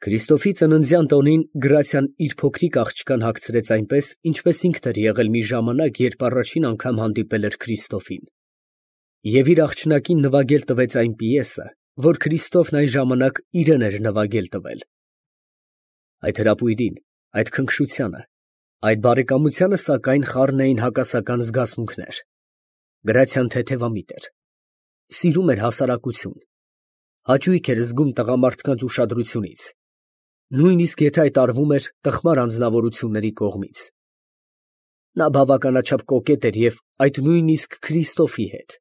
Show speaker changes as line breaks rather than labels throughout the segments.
Քրիստոֆի ծննդյան տոնին Գրացիան իր փոքրիկ աղջկան հագցրեց այնպես, ինչպես ինքն էր եղել մի ժամանակ, երբ առաջին անգամ հանդիպել էր Քրիստոֆին, և իր աղջնակին նվագել տվեց այն պիեսը, որ Քրիստոֆն այն ժամանակ իրեն էր նվագել տվել։ Այդ հրապույրին, այդ քնքշությանը, այդ բարեկամությանը, սակայն, խառն էին հակասական զգացմունքներ։ Գրացիան թեթևամիտ էր, սիրում էր հասարակություն, հաճույք էր զգում տղամարդկանց ուշադրությունից, նույնիսկ եթե այդ արվում էր տխմար անձնավորությունների կողմից։ Նա բավականաչափ կոկետ էր և այդ նույնիսկ Քրիստոֆի հետ։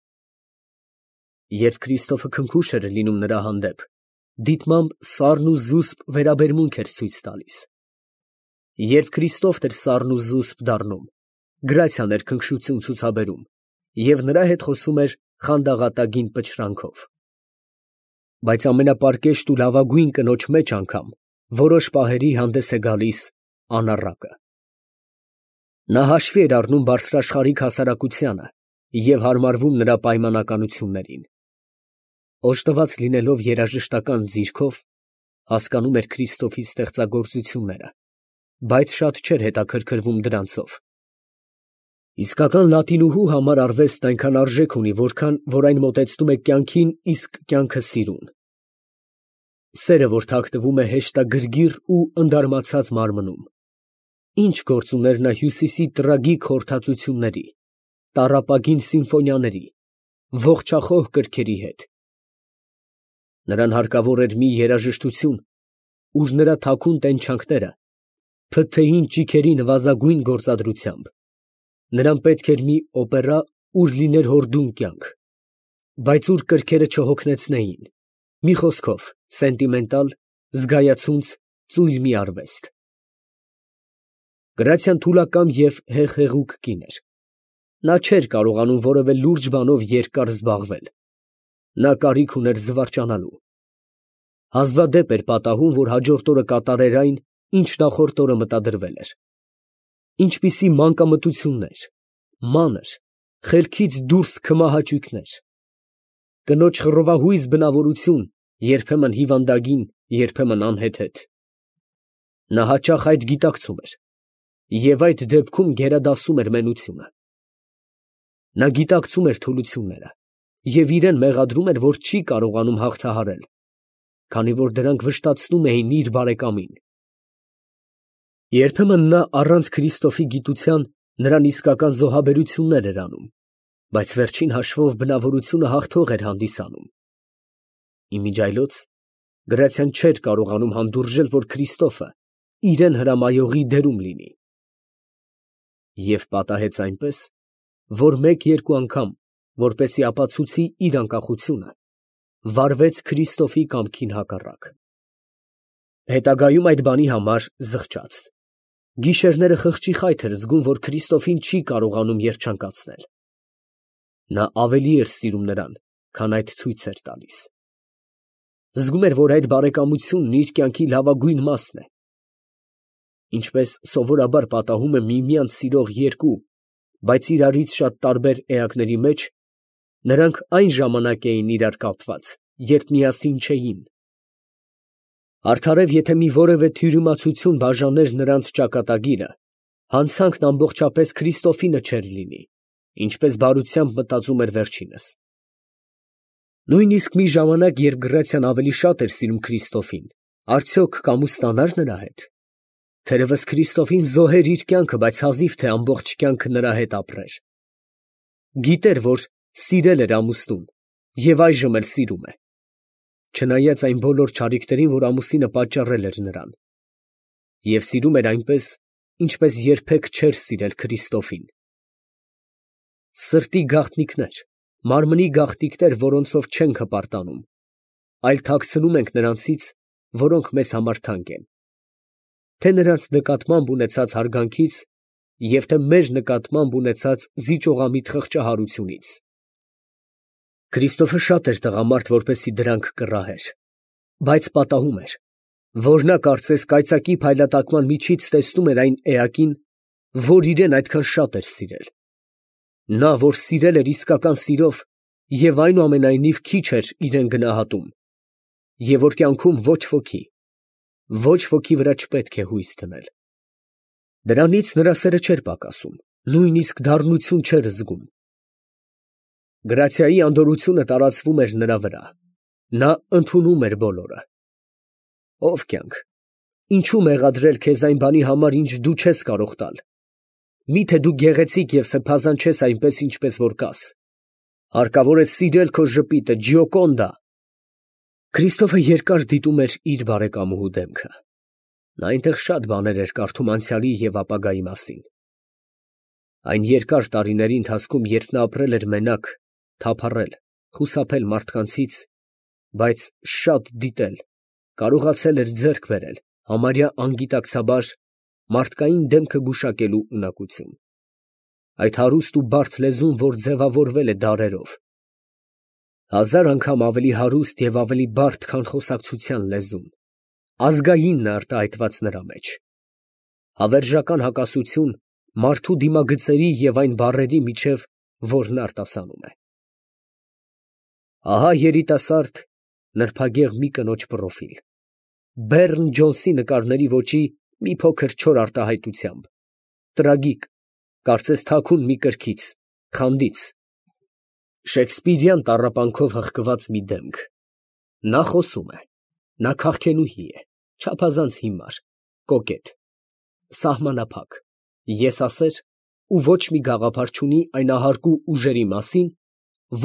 Երբ Քրիստոֆը քնքուշ էր լինում նրա հանդեպ, դիտմամբ սառն ու զուսպ վերաբերմունք էր ցույց տալիս։ Երբ Քրիստոֆն էր սառն ու զուսպ դառնում, Գրացիան էր քնքշություն ցուցաբերում և նրա հետ խոսում էր խանդաղատագին պչրանքով։ Բայց ամենապարկեշտ ու լավագույն կնոջ մեջ անգամ որոշ պահերի հանդես է գալիս անառակը։ Նա հաշվի էր առնում բարձրաշխարհիկ հասարակությանը և հարմարվում նրա պայմանականություններին։ Օժտված լինելով երաժշտական ձիրքով, հասկանում էր Քրիստոֆի ստեղծագործությունները, բայց շատ չէր հետաքրքրվում դրանցով։ Իսկական լատինուհու համար արվեստն այնքան արժեք ունի, որքան որ այն մոտեցնում է կյանքին, իսկ կյանքը սիրուն։ Սերը, որ թաքնվում է հեշտագրգիռ ու ընդարմացած մարմնում։ Ինչ գործ ուներ նա Հյուսիսի տրագիկ խորհրդածությունների, տառապագին սիմֆոնիաների, ողջախոհ կրքերի հետ։ Նրան հարկավոր էր մի երաժշտություն, ուր նրա թաքուն տենչանքները փթթեին ճիգերի նվազագույն գործադրությամբ։ Նրան պետք էր մի օպերա, ուր լիներ հորդուն կյանք, բայց ուր կրքերը չհոգնեցնեին, մի խոսքով, սենտիմենտալ, զգայացունց, ծույլ մի արվեստ։ Գրացիան թուլակամ և հեղեղուկ կին էր։ Նա չէր կարողանում որևէ լուրջ բանով երկար զբաղվել։ Նա կարիք ուներ զվարճանալու։ Հազվադեպ էր պատահում, որ հաջորդ օրը կատարեր այն, ինչ նախորդ օրը մտադրվել էր։ Ինչպիսի մանկամտություններ, մանր, խելքից դուրս քմահաճույքներ։ Կնոջ խռովահույզ բնավորություն, երբեմն հիվանդագին, երբեմն անհեթեթ։ Նա հաճախ այդ գիտակցում էր և այդ դեպքում գերադասում էր մենությունը։ Նա գիտակցում էր թուլությունները և իրան մեղադրում էր, որ չի կարողանում հաղթահարել, քանի որ դրանք վշտացնում էին իր բարեկամին։ Երբեմն նա առանց Քրիստոֆի գիտության նրան իսկական զոհաբերություններ էր անում, բայց վերջին հաշվով բնավորությունը հաղթող էր հանդիսանում։ Իմիջիայլոց Գրացիան չէր կարողանում հանդուրժել, որ Քրիստոֆը իրան հրամայողի դերում լինի։ Եվ պատահեց այնպես, որ մեկ֊երկու անգամ, որպեսզի ապացուցի իր անկախությունը, վարվեց Քրիստոֆի կամքին հակառակ։ Հետագայում այդ բանի համար զղջաց։ Գիշերները խղճի խայթ էր զգում, որ Քրիստոֆին չի կարողանում երջանկացնել։ Նա ավելի էր սիրում նրան, քան այդ ցույց էր տալիս։ Զգում էր, որ այդ բարեկամությունն իր կյանքի լավագույն մասն է։ Ինչպես սովորաբար պատահում է միմյանց սիրող երկու, բայց իրարից շատ տարբեր էակների մեջ, նրանք այն ժամանակ էին իրար կապված, երբ միասին չէին։ Արդարև, եթե մի որևէ թյուրիմացություն բաժաներ նրանց ճակատագիրը, հանցանքն ամբողջապես Քրիստոֆինը չէր լինի, ինչպես բարությամբ մտածում էր վերջինս։ Նույնիսկ մի ժամանակ, երբ Գրացիան ավելի շատ էր սիրում Քրիստոֆին, արդյոք կամուստանա՞ր նրա հետ։ Թերևս Քրիստոֆին զոհեր իր կյանքը, բայց հազիվ թե ամբողջ կյանքը նրա հետ ապրեր։ Գիտեր, որ սիրել էր ամուսնուն և այժմ էլ սիրում է, չնայած այն բոլոր չարիքներին, որ ամուսինը պատճառել էր նրան, և սիրում էր այնպես, ինչպես երբեք չէր սիրել Քրիստոֆին։ Սրտի գաղտնիքներ, մարմնի գաղտնիքներ, որոնցով չենք հպարտանում, այլ թաքցնում ենք նրանցից, որոնք մեզ համար թանկ են, թե նրանց նկատմամբ ունեցած հարգանքից և թե մեր նկատմամբ ունեցած զիջողամիտ խղճահարությունից։ Քրիստոֆը շատ էր տղամարդ, որպեսզի դրանք կռահեր, բայց պատահում էր, որ նա կարծես կայծակի փայլատակման միջից տեսնում էր այն էակին, որ իրան այդքան շատ էր սիրել։ Նա, որ սիրել էր իսկական սիրով և այնուամենայնիվ քիչ էր իրան գնահատում, և որ կյանքում ոչ ոքի, Ոչ ոքի վրա չպետք է հույս դնել։ Դրանից նրա սերը չէր պակասում, նույնիսկ դառնություն չէր զգում։ Գրացիայի անդորրությունը տարածվում էր նրա վրա։ Նա ընդունում էր բոլորը։ Ով կյանք, ինչու մեղադրել քեզ այն բանի համար, ինչ դու չես կարող տալ։ Միթե դու գեղեցիկ և սրբազան չես այնպես, ինչպես որ կաս։ Հարկավոր է սիրել քո ժպիտը, Ջիոկոնդա։ Քրիստոֆը երկար դիտում էր իր բարեկամուհու դեմքը։ Նա այնտեղ շատ բաներ էր կարդում անցյալի և ապագայի մասին։ Այն երկար տարիների ընթացքում, երբ նա ապրել էր մենակ, թափառել, խուսափել մարդկանցից, բայց շատ դիտել, կարողացել էր ձեռք բերել, համարյա անգիտակցաբար, մարդկային դեմքը գուշակելու ունակություն։ Այդ հարուստ ու բարդ լեզուն, որ ձևավորվել է դարերով, հազար անգամ ավելի հարուստ և ավելի բարդ, քան խոսակցության լեզուն, ազգայինն է արտահայտված նրա մեջ։ Հավերժական հակասություն մարդու դիմագծերի և այն բառերի միջև, որն արտասանում է։ Ահա երիտասարդ, նրբագեղ մի կնոջ պրոֆիլ, Բեռն Ջոնսի նկարների ոճի մի փոքր չոր արտահայտությամբ, տրագիկ, կարծես թաքուն մի կրքից, խանդից, շեքսպիրյան տառապանքով հղկված մի դեմք։ Նա խոսում է, նա քաղքենուհի է, չափազանց հիմար, կոկետ, սահմանափակ, եսասեր ու ոչ մի գաղափար չունի այն ահարկու ուժերի մասին,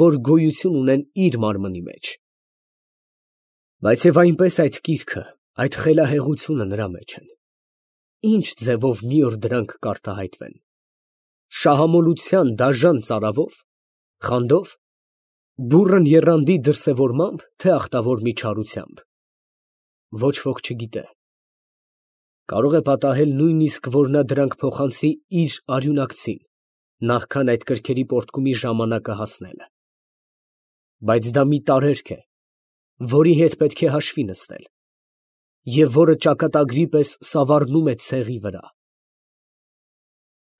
որ գոյություն ունեն իր մարմնի մեջ։ Բայց և այնպես այդ կիրքը, այդ խելահեղությունը նրա մեջ են։ Ինչ ձևով մի օր դրանք կարտահայտվեն։ Շահամոլության դաժան ծարավով, խանդով, բուռն եռանդի դրսևորմամբ, թե ախտավոր մի չարությամբ։ Ոչ ոք չգիտե։ Կարող է պատահել նույնիսկ, որ նա դրանք փոխանցի իր արյունակցին, նախքան այդ կրքերի պոռթկումի ժամանակը հասնելը։ Բայց դա մի տարերք է, որի հետ պետք է հաշվի նստել, և որը ճակատագրի պես սավառնում է ցեղի վրա։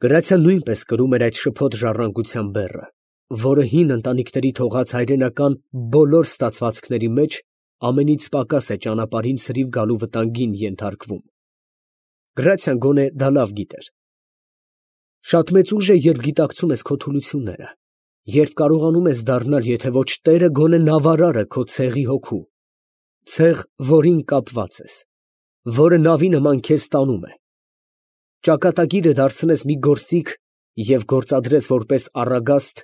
Գրացիան նույնպես կրում էր այդ շփոթ ժառանգության բեռը, որը հին ընտանիքների թողած հայրենական բոլոր ստացվածքների մեջ ամենից պակաս է ճանապարհին ցրիվ գալու վտանգին ենթարկվում։ Գրացիան գոնե դա լավ գիտեր։ Շատ մեծ ուժ է, երբ գիտակցում ես քո թուլությունները, երբ կարողանում ես դառնալ, եթե ոչ տերը, գոնե նավարարը քո ցեղի հոգու, ցեղ, որին կապված ես, որը նավի նման քեզ տանում է։ Ճակատագիրը դարձնես մի գործիք և գործադրես որպես առագաստ,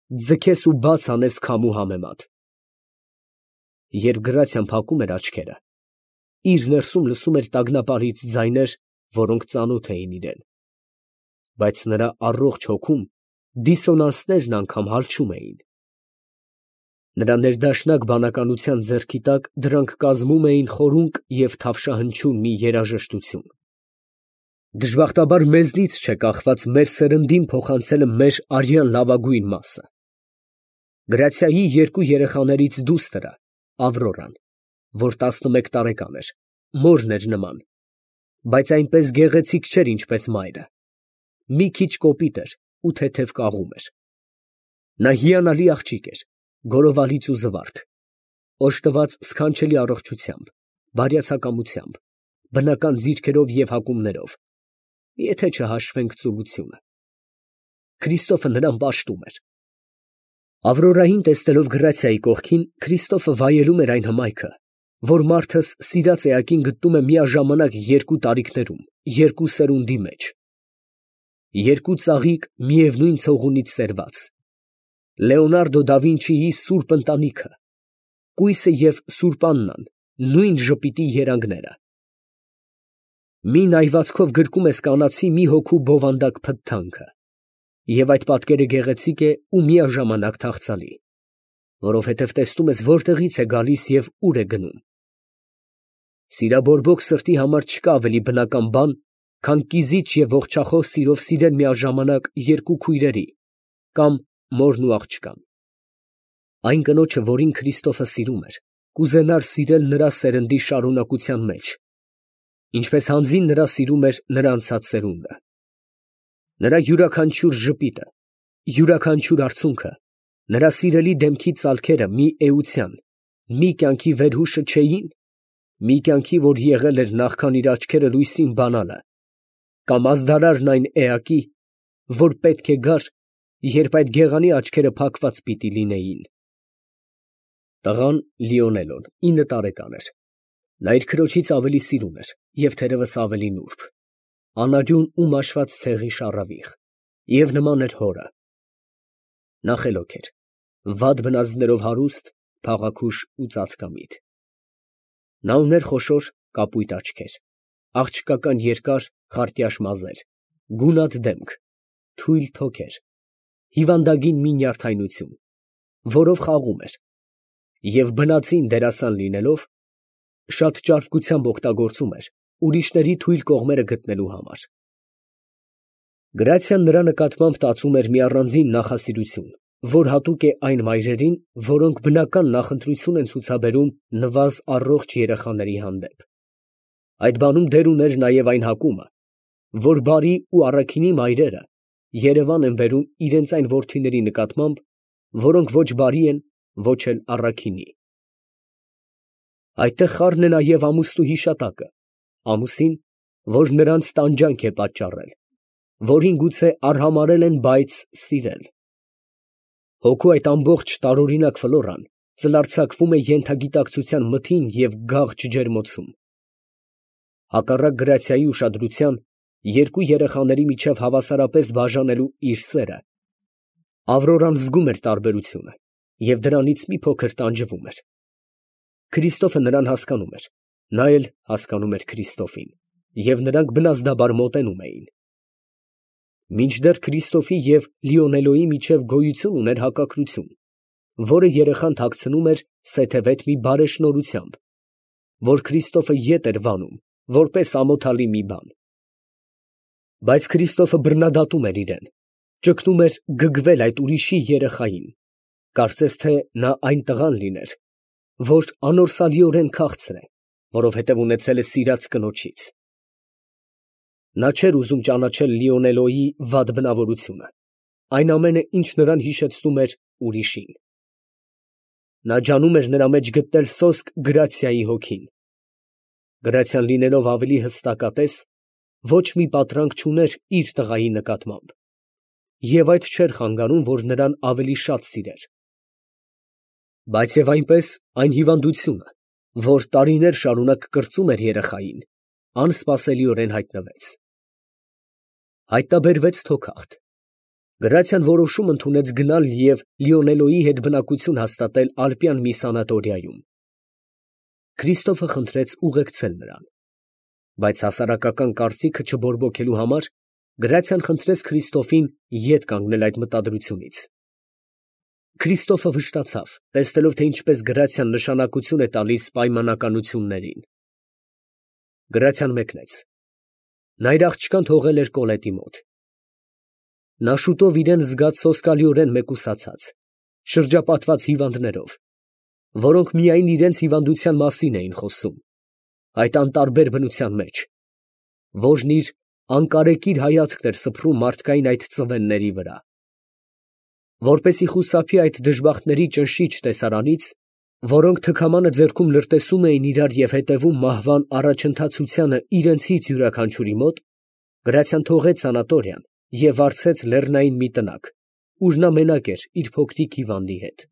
ձգես ու բաց անես քամու համեմատ։ Երբ Գրացիան փակում էր աչքերը, իր ներսում լսում էր տագնապալից ձայներ, որոնք ծանոթ էին իրան, բայց նրա առողջ հոգում դիսոնանսներն անգամ հալչում էին։ Նրա ներդաշնակ բանականության ձեռքի տակ դրանք կազմում էին խորունկ և թավշահնչյուն մի երաժշտություն։ Դժբախտաբար մեզնից չէ կախված մեր սերնդին փոխանցելը մեր արյան լավագույն մասը։ Գրացիայի երկու երեխաներից դուստրը, Ավրորան, որ 11 տարեկան էր, մորն էր նման, բայց այնպես գեղեցիկ չէր, ինչպես մայրը, մի քիչ կոպիտ էր ու թեթև կաղում էր։ Նա հիանալի աղջիկ էր, գորովալից ու զվարթ, օժտված սքանչելի առողջությամբ, բարյացակամությամբ, բնական ձիրքերով և հակումներով, եթե չհաշվենք ծուլությունը։ Քրիստոֆը նրան պաշտում էր։ Ավրորային տեսնելով Գրացիայի կողքին, Քրիստոֆը վայելում էր այն հմայքը, որ մարդս սիրած էակին գտնում է միաժամանակ երկու տարիքներում, երկու սերունդի մեջ։ Երկու ծաղիկ միևնույն ցողունից սերված։ Լեոնարդո դա Վինչիի սուրբ ընտանիքը, կույսը և սուրբ Աննան, նույն ժպիտի երանգները։ Մի նայվածքով գրկում ես կանացի մի հոգու բովանդակ փթթանքը, և այդ պատկերը գեղեցիկ է ու միաժամանակ թախծալի, որովհետև տեսնում ես որտեղից է գալիս և ուր է գնում։ Սիրաբորբոք սրտի համար չկա ավելի բնական բան, քան կիզիչ և ողջախոհ սիրով սիրել միաժամանակ երկու քույրերի կամ մորն ու աղջկան։ Այն կնոջը, որին Քրիստոֆը սիրում էր, կուզենար սիրել նրա սերնդի շարունակության մեջ, ինչպես հանձին նրա սիրում էր նրա անցած սերունդը։ Նրա յուրաքանչյուր ժպիտը, յուրաքանչյուր արցունքը, նրա սիրելի դեմքի ծալքերը մի էության, մի կյանքի վերհուշը չէին, մի կյանքի, որ եղել էր նախքան իր աչքերը լույսին բանալը, կամ ազդարարն այն էակի, որ պետք է գար, երբ այդ գեղանի աչքերը փակված պիտի լինեին։ Տղան Լիոնելոն 9 տարեկան էր։ Նա իր քրոջից ավելի սիրուն էր և թերևս ավելի նուրբ, անարյուն ու մաշված ցեղի շառավիղ, և նման էր հորը։ Նա խելոք էր, վատ բնազդներով հարուստ, փաղաքուշ ու ծածկամիտ։ Նա ուներ խոշոր կապույտ աչքեր, աղջկական երկար խարտյաշ մազեր, գունատ դեմք, թույլ թոքեր, հիվանդագին մի նյարդայնություն, որով խաղում էր, և բնածին դերասան լինելով, շատ ճարպկությամբ օգտագործում էր ուրիշների թույլ կողմերը գտնելու համար։ Գրացիան նրա նկատմամբ տածում էր մի առանձին նախասիրություն, որ հատուկ է այն մայրերին, որոնք բնական նախընտրություն են ցուցաբերում նվազ առողջ երեխաների հանդեպ։ Այդ բանում դեր ուներ նաև այն հակումը, որ բարի ու առաքինի մայրերը երևան են բերում իրենց այն որդիների նկատմամբ, որոնք ոչ բարի են, ոչ էլ առաքինի։ Այդտեղ խառն է նաև ամուսնու հիշատակը, ամուսին, որ նրանց տանջանք է պատճառել, որին գուցե արհամարհել են, բայց սիրել։ Հոգու այդ ամբողջ տարօրինակ ֆլորան ծլարձակվում է ենթագիտակցության մթին և գաղ ջերմոցում։ Հակառակ Գրացիայի ուշադրության, երկու երեխաների միջև հավասարապես բաժանելու իր սերը, Ավրորան զգում էր տարբերությունը և դրանից մի փոքր տանջվում էր։ Քրիստոֆը նրան հասկանում էր, նա էլ հասկանում էր Քրիստոֆին, և նրանք բնազդաբար մոտենում էին։ Մինչդեռ Քրիստոֆի և Լիոնելոյի միջև գոյություն ուներ հակակրություն, որը երեխան թաքցնում էր սեթևետ մի բարեշնորհությամբ, որ Քրիստոֆը ետ էր վանում, որպես ամոթալի մի բան։ Բայց Քրիստոֆը բռնադատում էր իրեն, ճգնում էր գգվել այդ ուրիշի երեխային, կարծես թե նա այն տղան լիներ, որ անորսալիորեն քաղցր է, որովհետև ունեցել է սիրած կնոջից։ Նա չէր ուզում ճանաչել Լիոնելոյի վատ բնավորությունը, այն ամենը, ինչ նրան հիշեցնում էր ուրիշին։ Նա ջանում էր նրա մեջ գտնել սոսկ գրացիայի հոգին։ Գրացիան լինելով ավելի հստակատես, ոչ մի պատրանք չուներ իր տղայի նկատմամբ, և այդ չէր խանգարում, որ նրան ավելի շատ սիրեր։ Բայց և այնպես այն հիվանդությունը, որ տարիներ շարունակ կրծում էր երեխային, անսպասելիորեն հայտնվեց։ Հայտնաբերվեց թոքախտ։ Գրացիան որոշում ընդունեց գնալ և Լիոնելոյի հետ բնակություն հաստատել ալպյան մի սանատորիայում։ Քրիստոֆը խնդրեց ուղեկցել նրան, բայց հասարակական կարծիքը չբորբոքելու համար Գրացիան խնդրեց Քրիստոֆին ետ կանգնել այդ մտադրությունից։ Քրիստոֆը վշտացավ, տեսնելով, թե ինչպես Գրացիան նշանակություն է տալիս պայմանականություններին։ Գրացիան մեկնեց։ Նա իր աղջկան թողել էր Կոլետի մոտ։ Նա շուտով իրան զգաց սոսկալիորեն մեկուսացած, շրջապատված հիվանդներով, որոնք միայն իրենց հիվանդության մասին էին խոսում, այդ անտարբեր բնության մեջ, որն իր անկարեկիր հայացքն էր սփռում մարդկային այդ ծվենների վրա։ Որպեսզի խուսափի այդ դժբախտների ճնշիչ տեսարանից, որոնք թքամանը ձեռքում լրտեսում էին իրար և հետևում մահվան առաջընթացությանը իրենցից յուրաքանչյուրի մոտ, Գրացիան թողեց սանատորիան և վարձեց լեռնային մի տնակ, ուր նա մենակ էր իր փոքրիկ հիվանդի հետ։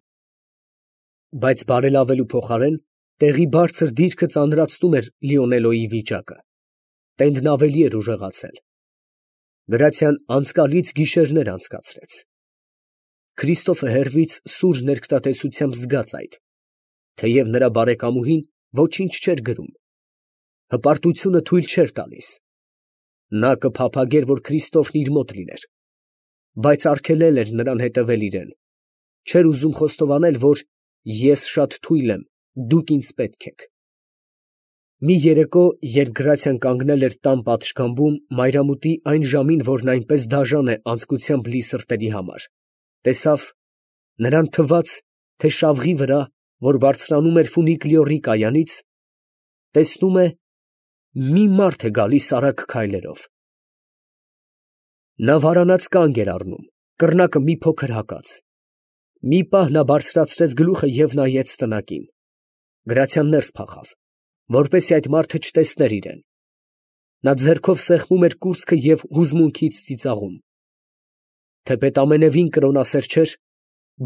Բայց բարելավելու փոխարեն տեղի բարձր դիրքը ծանրացնում էր Լիոնելոյի վիճակը։ Տենդն ավելի էր ուժեղացել։ Գրացիան անցկալից գիշերներ անցկացրեց։ Քրիստոֆը հեռվից սուր ներկտատեսությամբ զգաց այդ, թեև նրա բարեկամուհին ոչինչ չէր գրում, հպարտությունը թույլ չէր տալիս։ Նա կփափագեր, որ Քրիստոֆն իր մոտ լիներ, բայց արգելել էր նրան հետևել իրան, չէր ուզում խոստովանել, որ ես շատ թույլ եմ, դուք ինձ պետք եք։ Մի երեկո, երբ Գրացիան կանգնել էր տան պատշգամբում մայրամուտի այն ժամին, որն այնպես դաժան է անձկությամբ լի սրտերի համար, տեսավ, նրան թվաց, թե շավղի վրա, որ բարձրանում էր ֆունիկուլյորի կայանից, տեսնում է, մի մարդ է գալիս արագ քայլերով։ Նա վարանած կանգ էր առնում, կռնակը մի փոքր հակած։ Մի պահ նա բարձրացրեց գլուխը և նայեց տնակին։ Գրացիան ներս փախավ։ որպեսզի այդ մարդը չտեսներ իրեն։ Նա ձեռքով սեղմում էր կուրծքը և հուզմունքից ծիծաղում։ Թեպետ ամենևին կրոնասեր չէր,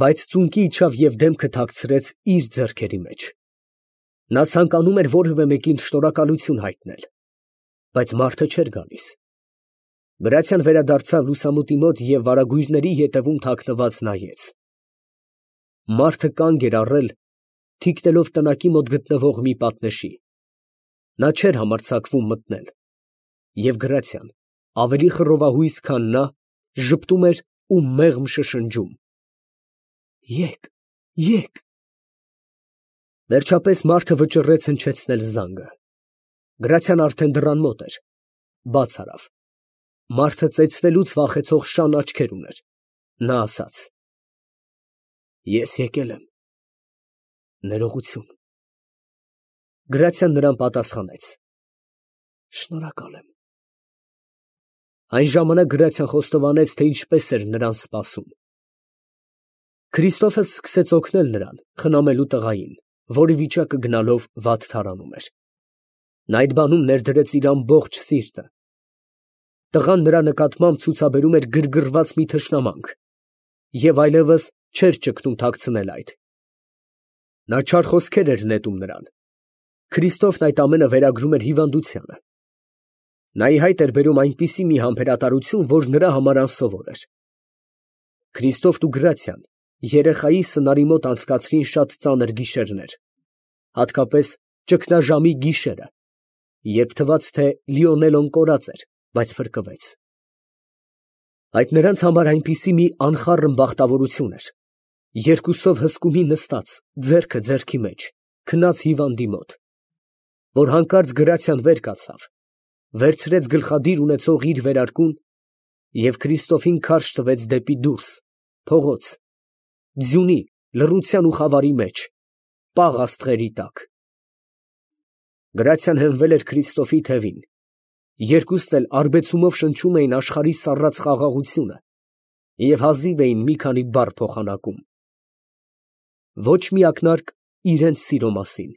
բայց ծունկի իջավ և դեմքը թաքցրեց իր ձեռքերի մեջ։ Նա ցանկանում էր որևէ մեկին շնորհակալություն հայտնել, բայց մարդը չէր գալիս։ Գրացիան վերադարձավ լուսամուտի մոտ և վարագույրների ետևում թաքնված նայեց։ Մարդը կանգ էր առել, թիկնելով տնակի մոտ գտնվող մի պատնեշի։ Նա չէր համարձակվում մտնել, և Գրացիան, ավելի խռովահույս, քան նա, ժպտում էր ու մեղմ շշնջում. «Եկ, եկ»։ Վերջապես մարդը վճռեց հնչեցնել զանգը։ Գրացիան արդեն դռան մոտ էր, բաց արավ։ Մարդը ծեծվելուց վախեցող շան աչքեր ուներ։ Նա ասաց. «Ես եկել եմ, ներողություն»։ Գրացիան նրան պատասխանեց. «Շնորհակալ եմ»։ Այն ժամանակ Գրացիան խոստովանեց, թե ինչպես էր նրան սպասում։ Քրիստոֆը սկսեց օգնել նրան խնամելու տղային, որի վիճակը գնալով վատ թարանում էր։ Նա այդ բանում ներդրեց իր ամբողջ սիրտը։ Տղան նրա նկատմամբ ցուցաբերում էր գրգռված մի թշնամանք և այլևս չէր ճկնում թաքցնել այդ։ Նա չար խոսքեր էր նետում նրան։ Քրիստոֆն այդ ամենը վերագրում էր հիվանդությանը։ Նա ի հայտ էր բերում այնպիսի մի համբերատարություն, որ նրա համար անսովոր էր։ Քրիստոֆն ու Գրացիան երեխայի սնարի մոտ անցկացրին շատ ծանր գիշերներ, հատկապես ճգնաժամի գիշերը, երբ թվաց, թե Լիոնելոն կորած էր, բայց փրկվեց։ Այդ նրանց համար այնպիսի մի անխառն բախտավորություն էր, երկուսով հսկումի նստած, ձեռքը ձեռքի մեջ, քնած հիվանդի մոտ, որ հանկարծ Գրացիան վեր կացավ, վերցրեց գլխադիր ունեցող իր վերարկուն և Քրիստոֆին քարշ տվեց դեպի դուրս, փողոց, ձյունի, լռության ու խավարի մեջ, պաղ աստղերի տակ։ Գրացիան հենվել էր Քրիստոֆի թևին, երկուսն էլ արբեցումով շնչում էին աշխարհի սառած խաղաղությունը և հազիվ էին մի քանի բառ փոխանակում։ Ոչ մի ակնարկ իրենց սիրո մասին։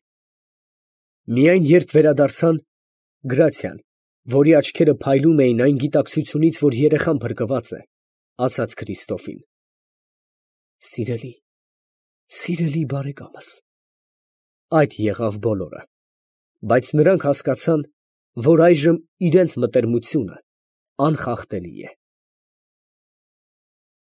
Միայն երբ վերադարձան, Գրացիան, որի աչքերը փայլում էին այն գիտակցությունից, որ երեխան փրկված է, ասաց Քրիստոֆին. «Սիրելի, սիրելի բարեկամս»։ Այդ եղավ բոլորը, բայց նրանք հասկացան, որ այժմ իրենց մտերմությունը անխախտելի է։